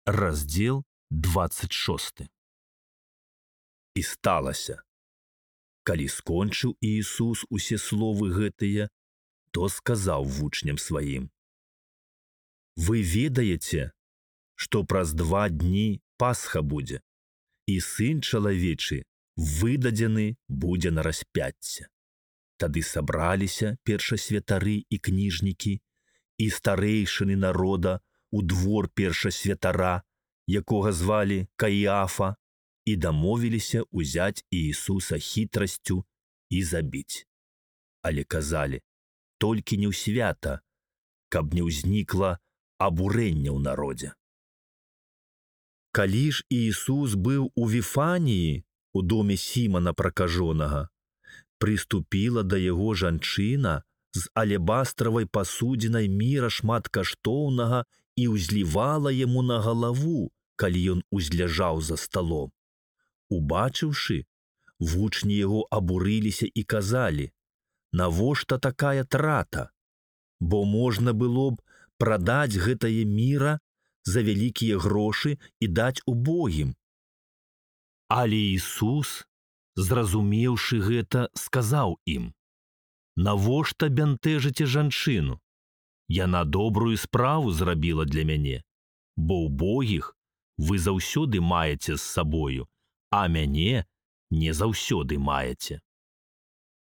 Раздзел 26. І сталася, калі скончыў Іісус усе словы гэтыя, то сказаў вучням сваім: «Вы ведаеце, што праз 2 дні Пасха будзе, і Сын чалавечы выдадзены будзе на распяцце». Тады сабраліся першасвятары і кніжнікі і старэйшыны народа у двор першасвятара, якога звалі Каіафа, і дамовіліся ўзяць Іісуса хітрасцю і забіць. Але казалі, толькі не ў свята, каб не ўзнікла абурэнне ў народзе. Калі ж Іісус быў у Віфаніі, у доме Сімана пракажонага, прыступіла да яго жанчына з алебастравай пасудзінай міра шматкаштоўнага і ўзлівала яму на галаву, калі ён узляжаў за сталом. Убачыўшы, вучні яго абурыліся і казалі: «Навошта такая трата? Бо можна было б прадаць гэтае міра за вялікія грошы і даць убогім». Але Ісус, зразумеўшы гэта, сказаў ім: «Навошта бянтэжыце жанчыну? Яна добрую справу зрабіла для мяне, бо убогіх вы заўсёды маеце з сабою, а мяне не заўсёды маеце.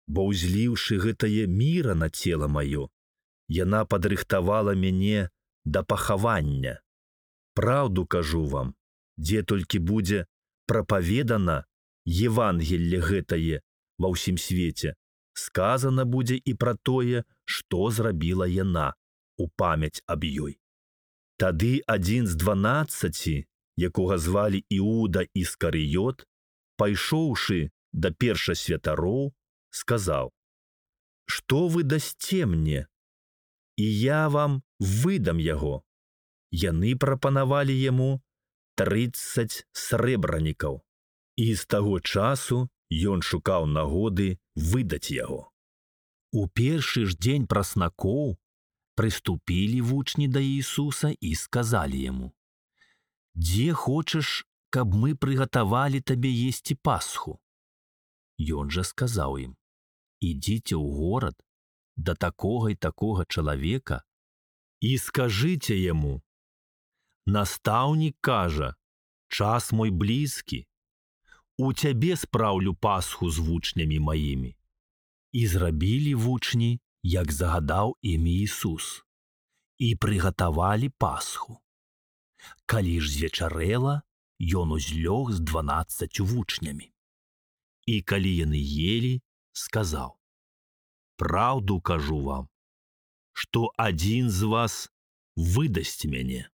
Бо ўзліўшы гэтае міра на цела маё, яна падрыхтавала мяне да пахавання. Праўду кажу вам, дзе толькі будзе прапаведана Евангелле гэтае ва ўсім свеце, сказана будзе і пра тое, што зрабіла яна, у памяць аб ёй». Тады адзін з 12, якога звалі Іуда Іскарыёт, пайшоўшы да першасвятароў, сказаў: «Што вы дасце мне, і я вам выдам яго». Яны прапанавалі яму 30 срэбранікаў, і з таго часу ён шукаў нагоды выдаць яго. У першы ж дзень праснакоў прыступілі вучні да Іісуса і сказалі яму: «Дзе хочаш, каб мы прыгатавалі табе есці Пасху?» Ён жа сказаў ім: «Ідзіце ў горад да такога і такога чалавека і скажыце яму: настаўнік кажа, час мой блізкі, у цябе спраўлю Пасху з вучнямі маімі». І зрабілі вучні, як загадаў ім Ісус, і прыгатавалі Пасху. Калі ж звечарэла, ён узлёг з 12 вучнямі. І калі яны елі, сказаў: «Праўду кажу вам, што адзін з вас выдасць мяне».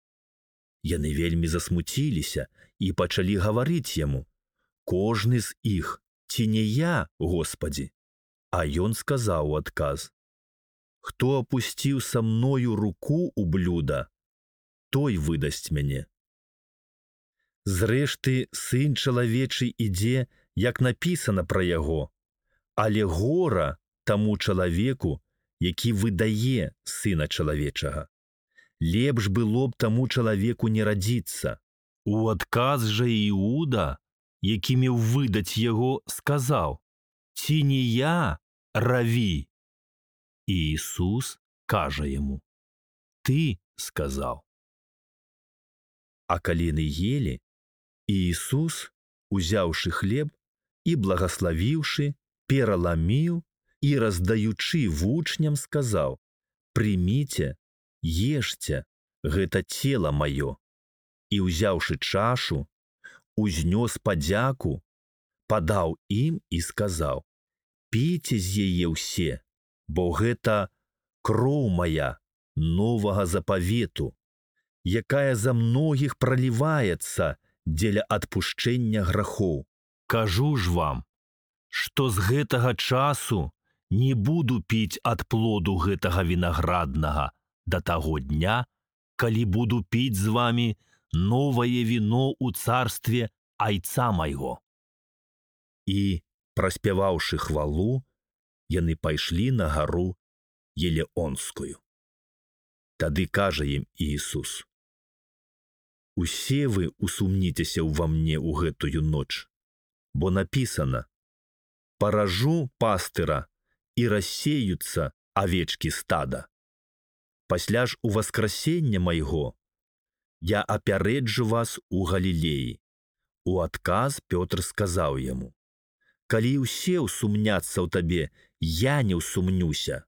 Яны вельмі засмуціліся і пачалі гаварыць яму: «Кожны з іх, ці не я, Господі?» А ён сказаў у адказ: «Хто апусціў са мною руку ў блюда, той выдасць мяне. Зрэшты, Сын чалавечы ідзе, як напісана пра яго, але гора таму чалавеку, які выдае Сына чалавечага. Лепш было б таму чалавеку не радзіцца». У адказ жа Іуда, які меў выдаць яго, сказаў: «Ці не я, Раві?» І Ісус кажа яму: «Ты сказаў». А калі яны елі, Іісус, узяўшы хлеб і благаславіўшы, пераламіў і, раздаючы вучням, сказаў: «Прыміце, ешце, гэта цела маё». І, узяўшы чашу, узнёс падзяку, падаў ім і сказаў: «Піце з яе ўсе, бо гэта кроў мая новага запавету, якая за многіх праліваецца дзеля адпушчэння грахоў. Кажу ж вам, што з гэтага часу не буду піць ад плоду гэтага вінаграднага да таго дня, калі буду піць з вамі новае віно ў царстве айца майго». І, праспяваўшы хвалу, яны пайшлі на гару Елеонскую. Тады кажа ім Іісус: Усе вы усумніцеся ўва мне ў гэтую ноч, бо напісана: «Паражу пастыра, і рассеюцца авечкі стада. Пасля ж у васкрасення майго я апярэджу вас у Галілеі». У адказ Пётр сказаў яму: «Калі ўсе ўсумняцца ў табе, я не ўсумнюся».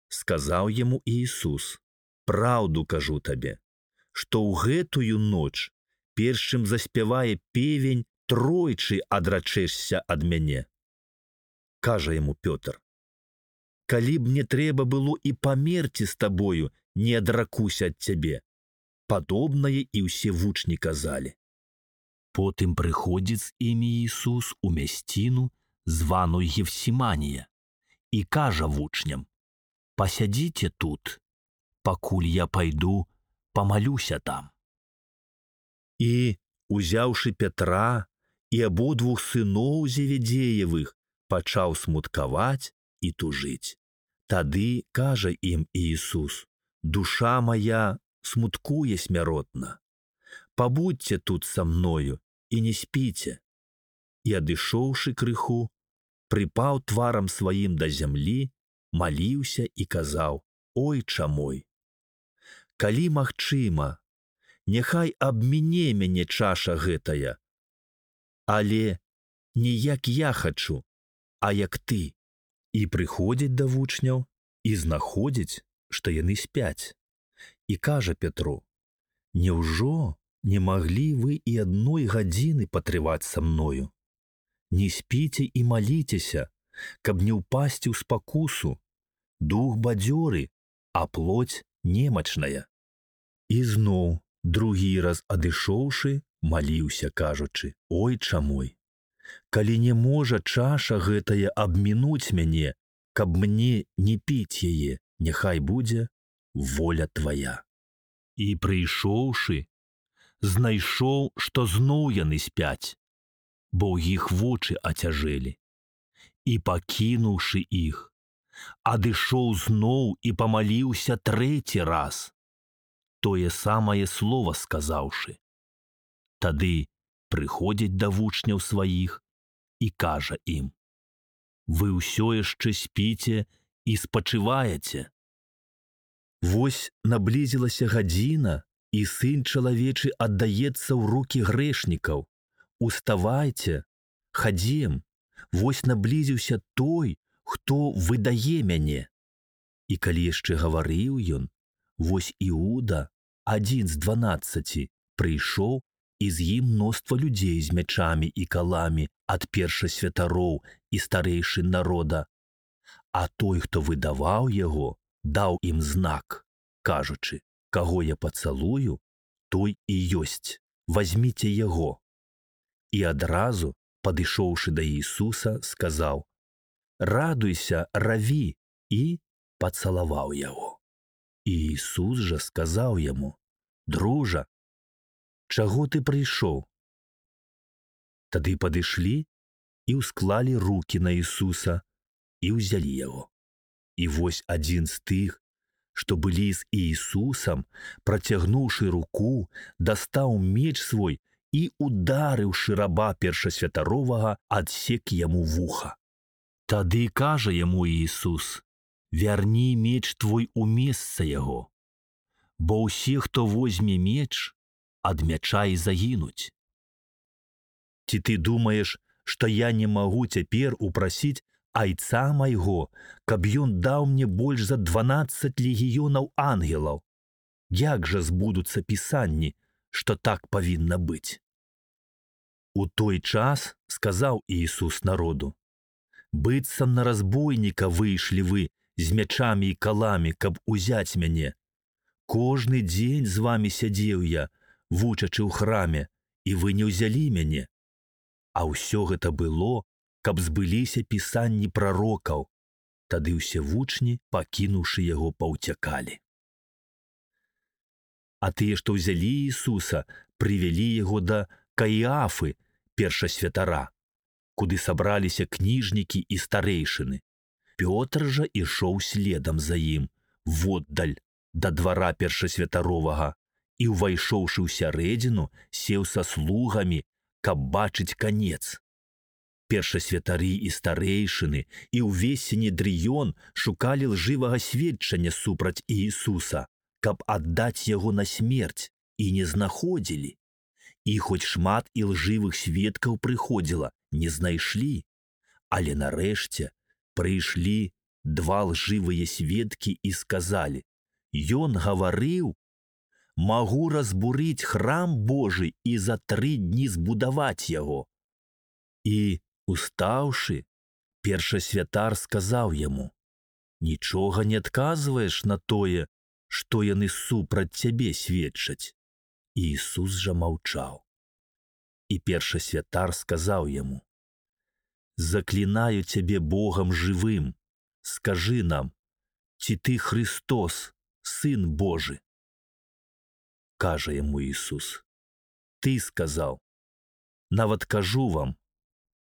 Сказаў яму Ісус: «Праўду кажу табе, што ў гэтую ноч, перш чым заспявае певень, тройчы адрачэшся ад мяне». Кажа яму Пётр: «Калі б мне трэба было і памерці з табою, не адракуся ад цябе». Падобнае і ўсе вучні казалі. Потым прыходзіць з імі Ісус у мясціну, званую Гефсіманія, і кажа вучням: «Пасядзіце тут, пакуль я пайду, памалюся там». І, узяўшы Пятра і абодвух сыноў Зеведзеевых, пачаў смуткаваць і тужыць. Тады кажа ім Ісус: «Душа моя смуткуе смяротна. Пабудзьце тут са мною і не спіце». І, адышоўшы крыху, прыпаў тварам сваім да зямлі, маліўся і казаў: «Ойча мой, калі магчыма, няхай абміне мяне чаша гэтая, але не як я хачу, а як ты». І прыходзіць да вучняў і знаходзіць, што яны спяць. І кажа Пятру: «Няўжо не маглі вы і адной гадзіны патрываць са мною? Не спіце і маліцеся, каб не ўпасці ў спакусу. Дух бадзёры, а плоть немачная». І зноў, другі раз адышоўшы, маліўся, кажучы: «Ойча мой, калі не можа чаша гэтая абмінуць мяне, каб мне не піць яе, няхай будзе воля твая». І прыйшоўшы, знайшоў, што зноў яны спяць, бо ў іх вочы ацяжэлі. І, пакінуўшы іх, адышоў зноў і памаліўся трэці раз, тое самае слова сказаўшы. Тады прыходзіць да вучняў сваіх і кажа ім: «Вы ўсё яшчэ спіце і спачываеце? Вось наблізілася гадзіна, і Сын чалавечы аддаецца ў рукі грэшнікаў. Уставайце, хадзем, вось наблізіўся той, хто выдае мяне». І калі яшчэ гаварыў ён, вось Іуда, адзін з 12, прыйшоў, і з ім мноства людзей з мячамі і каламі ад першасвятароў і старэйшын народа. А той, хто выдаваў яго, даў ім знак, кажучы: «Каго я пацалую, той і ёсць, вазьміце яго». І адразу, падышоўшы да Ісуса, сказаў: «Радуйся, раві», і пацалаваў яго. І Ісус жа сказаў яму: «Дружа, чаго ты прыйшоў?» Тады падышлі і ўсклалі рукі на Ісуса і ўзялі яго. І вось адзін з тых, што былі з Ісусам, працягнуўшы руку, дастаў меч свой і, ударыўшы раба першасвятаровага, адсек яму вуха. Тады кажа яму Ісус: «Вярні меч твой у месца яго, бо ўсе, хто возьме меч, ад мяча і загінуць. Ці ты думаеш, што я не магу цяпер упрасіць айца майго, каб ён даў мне больш за 12 легіёнаў ангелаў? Як жа збудуцца пісанні, што так павінна быць?» У той час сказаў Ісус народу: «Быццам на разбойніка выйшлі вы з мячамі і каламі, каб узяць мяне. Кожны дзень з вамі сядзеў я, вучачы ў храме, і вы не ўзялі мяне. А ўсё гэта было, каб збыліся пісанні прарокаў». Тады ўсе вучні, пакінуўшы яго, паўцякалі. А тыя, што ўзялі Ісуса, прывялі яго да Каіафы, першасвятара, куды сабраліся кніжнікі і старэйшыны. Пётр жа ішоў следам за ім, воддаль, да двара першасвятаровага, і, увайшоўшы ў сярэдзіну, сеў са слугамі, каб бачыць канец. Першасвятары і старэйшыны і ўвесь сінедрыён шукалі лжывага сведчання супраць Іісуса, каб аддаць яго на смерць, і не знаходзілі. І хоць шмат ілжывых сведкаў прыходзіла, не знайшлі. Але нарэшце прыйшлі два лжывыя сведкі і сказалі: «Ён гаварыў, магу разбурыць храм Божы і за 3 дні збудаваць яго». І, устаўшы, першасвятар сказаў яму: «Нічога не адказваеш на тое, што яны супраць цябе сведчаць». Іісус жа маўчаў. І першасвятар сказаў яму: «Заклінаю цябе Богам жывым, скажы нам, ці ты Христос, Сын Божы?» Кажа яму Іісус: «Ты сказаў. Нават кажу вам,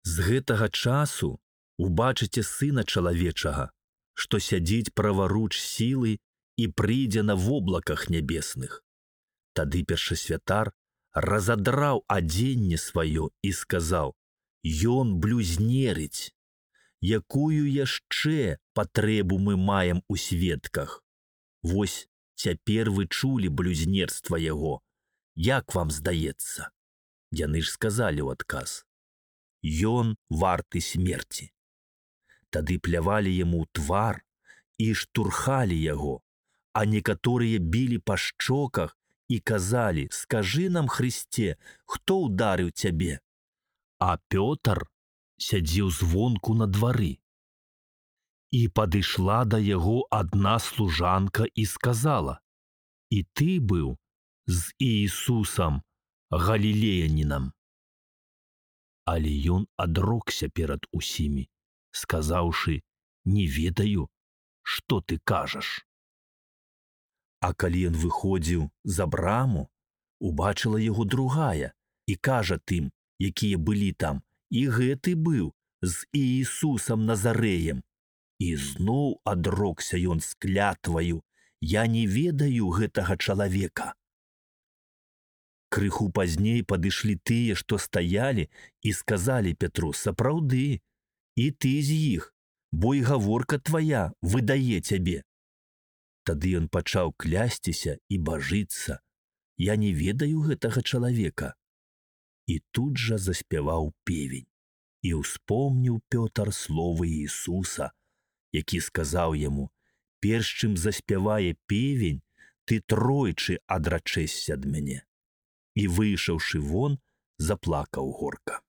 з гэтага часу убачыце Сына Чалавечага, што сядзіць праваруч сілы і прыйдзе на воблаках нябесных». Тады першасвятар разадраў адзенне сваё і сказаў: «Ён блюзнерыць. Якую яшчэ патрэбу мы маем у сведках? Вось цяпер вы чулі блюзнерства яго. Як вам здаецца?» Яны ж сказалі ў адказ: «Ён варты смерці». Тады плявалі яму ў твар і штурхалі яго, а некаторыя білі па шчоках і казалі: «Скажы нам, Христе, хто ўдарыў цябе?» А Пётр сядзеў звонку на двары. І падышла да яго адна служанка і сказала: «І ты быў з Іісусам Галілеянінам». Але ён адрокся перад усімі, сказаўшы: «Не ведаю, што ты кажаш». А калі ён выходзіў за браму, убачыла яго другая і кажа тым, якія былі там: «І гэты быў з Іісусам Назарэем». І зноў адрокся ён з клятваю: «Я не ведаю гэтага чалавека». Крыху пазней падышлі тыя, што стаялі, і сказалі Пятру: «Сапраўды, і ты з іх, бо і гаворка твая выдае цябе». Тады ён пачаў клясціся і бажыцца: «Я не ведаю гэтага чалавека». І тут жа заспяваў певень. І ўспомніў Пётр словы Іісуса, які сказаў яму: «Перш чым заспявае певень, ты тройчы адрачэшся ад мяне». І, выйшаўшы вон, заплакаў горка.